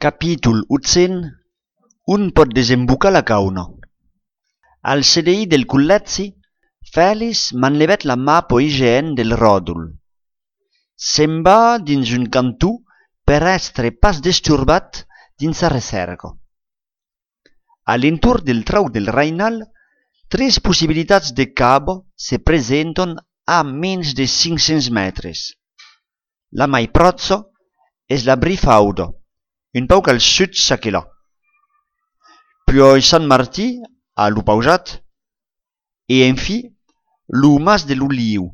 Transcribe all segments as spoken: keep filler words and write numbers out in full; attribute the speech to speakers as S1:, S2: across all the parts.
S1: Capítol ottocent. Un pot desembocar la cauna. Al C D I del Collèzi, Fèlix manlevèc la mappa I G N del ròdol. Se'n va dins un cantó per èstre pas desturbat dins sa recerca. A l'entorn del trau del Rainal, tres possibilitats de cabo se presenten a menys de cinc-cents metres. La mai pròxa és la Brifauda, un pauc al sud s'aquelà. Puis Sant Martí, a lo pausat, e enfi, lo mas de l'Oliu.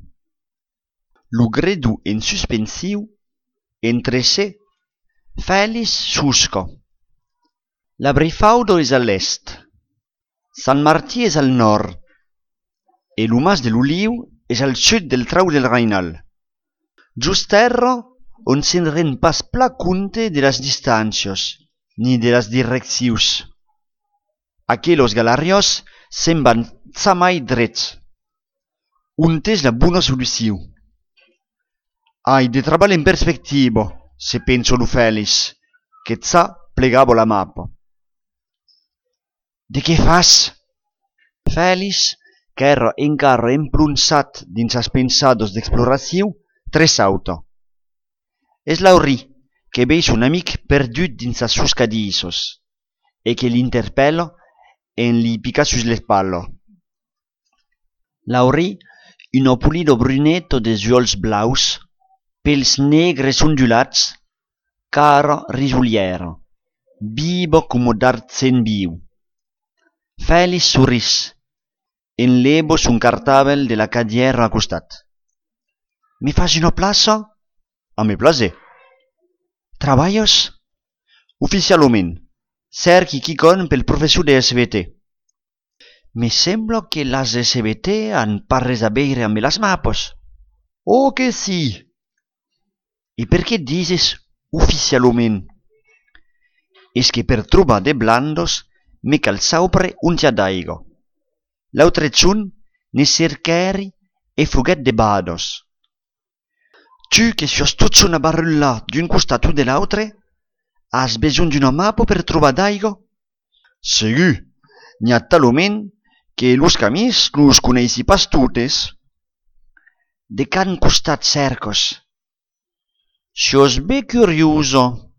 S1: Lo gredu en suspensiu, entre se, Fèlix susca. La Brifauda és a l'est, Sant Martí és al nord, e lo mas de l'Oliu és al sud del trau del Rainal. Just terra on se'n ren pas pla compte de las distàncies, ni de las direccions. Aquelos galarios se'n van zamai drets. Un és la bona solució. Ai de treball en perspectiva, se penso lo Fèlix, que za plegavo la mappa. De què fas? Fèlix, qu'era encara emplonzat dins as pensados d'exploració, tressauta. És Laurí, que veis un amic perdut dins as sus cadissos, e que l'interpella en li pica sus l'espalla. Laurí, un pulido brunetto de ulls blaus, pels negres ondulats, cara risuliera, vivo como d'artzen viu. Fèlix sorris, enleva son cartàvel de la cadiera a costat. Me fas una plaça? A me plaser. Traballes? Oficialment. Cerqui quicon pel professor de S V T. Me sembla que las S V T han pas res a veure amb las mapes. Oh que sí! I per què dices oficialment? És que per trobar de blandos me cal saupre un tia d'aigua. L'altre chun ne cercari e fruguet de bados. Tu que sos tot una barrulla d'un costat o de l'altre, has besoin d'una mappa per trobar d'aigua? Segur, n'hi ha talment que los camins los coneixi pas totes. De can costat cercos? Sos bé curioso.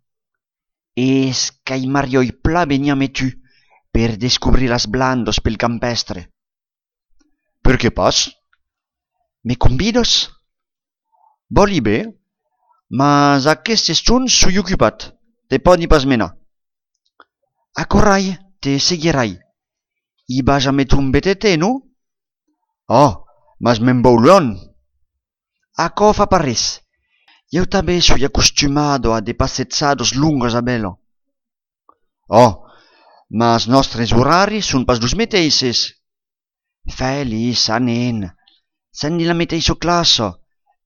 S1: És qu'ai marioi pla venia me tu per descobrir las blandos pel campestre. Per què pas? Me convides? Voli bé, mas aquest estun sui ocupat, te podi pas menar. Acorrai, te seguirai. I vas a metre un betete, no? Oh, mas me'n vau luon. Aco fa parres. Eu també sui acostumado a de passezzados lungos a belo. Oh, mas nostres horaris son pas los meteixes. Fèlix, anen, sen di la meteixa classa,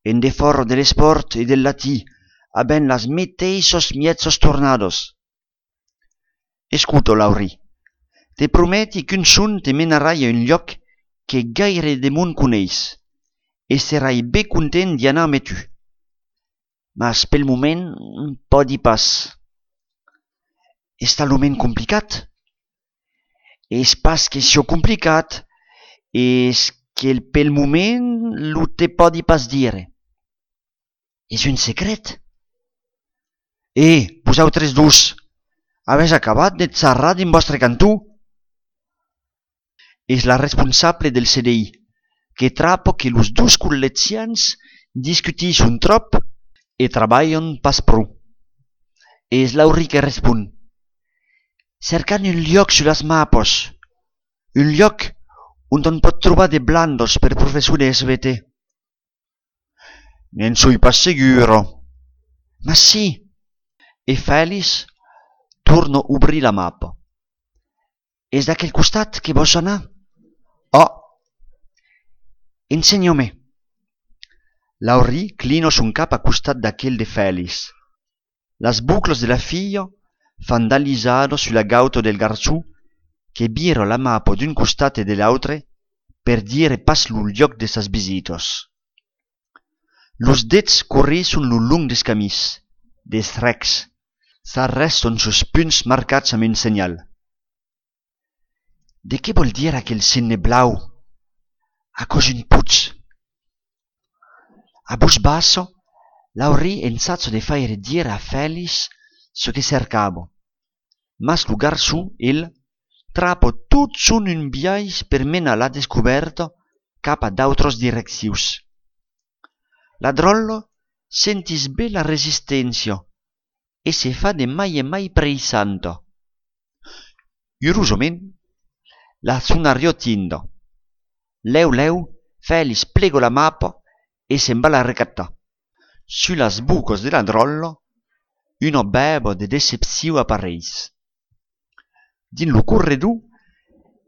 S1: en de forro de l'esport e del latí, aben las meteixos miezos tornados. Escuto, Laurí, te prometi qu'un sun te menarai a un lloc que gaire de mon coneix, e serai bé content d'y anar amb tu. Mas pel moment, podi pas. És talment complicat? És pas que sio complicat, és que pel moment lo te podi pas dire. És un secret? Eh, vosaltres dos, habéis acabat de xerrar din vostre cantó? És la responsable del C D I, que trapa que los dos col·lezians discutixen trop e treballen pas prou. És Laurí que respon. Cercant un lloc sur las mapes, un lloc on on pot trobar de blandos per professor de S V T. N'en soi pas seguro. Ma sí. E Fèlix torna a obrir la mappa. És d'aquell costat que vols anar? Oh! Ensenya-me. Laurí clina son cap a costat d'aquell de Fèlix. Las bucles de la filla fan d'alisado sulla gauta del garzó que vira la mappa d'un costat e de l'altre per dire pas lo lloc de sas visitos. Los dets correixen lo long des camis, des recs, s'arreston sus punts marcats amb un senyal. De què vol dir aquell signe blau? A cos un putz. A voce basso, Laurie ensazzo de faire dire a Félix ce que cercavo, mas lugar su, il trapo tot sun un biais per mena la descoberto cap a d'autres direccions. Ladrollo sentis bé la resistència e se fa de mai e mai preissanto. Iurosament, la sunario tindo. Leu leu, Félix plego la mappa e se'n va la recattar. Su las bucos de ladrollo, uno bebo de decepció apareix. Din lo corredor,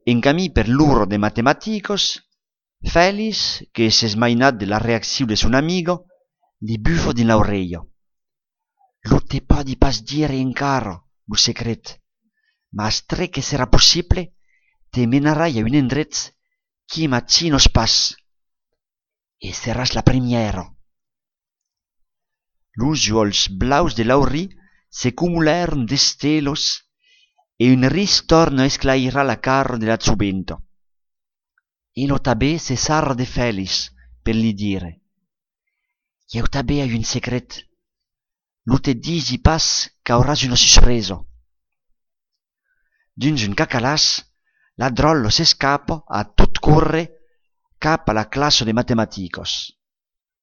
S1: en camí per l'uro de matematicos, Félix, que s'es mainat de la reacció de son amigo, li bufo din l'oreia. Lo te podi pas dire encara, lo secret, mas tre que serà possible, te menarai a un endret qui macinos pas. E seràs la premiera. Los ulls blaus de Laurie se cumularen d'estelos e un ris torna a esclairar la cara de la zubento. E lo tabè se sarra de Félix per li dire: «Io tabè hai un secret. Lo te disi pas qu'auràs una sorpresa». Dins un cacalàs, Ladrollo s'escapa a tot corre cap a la classe de matematicos.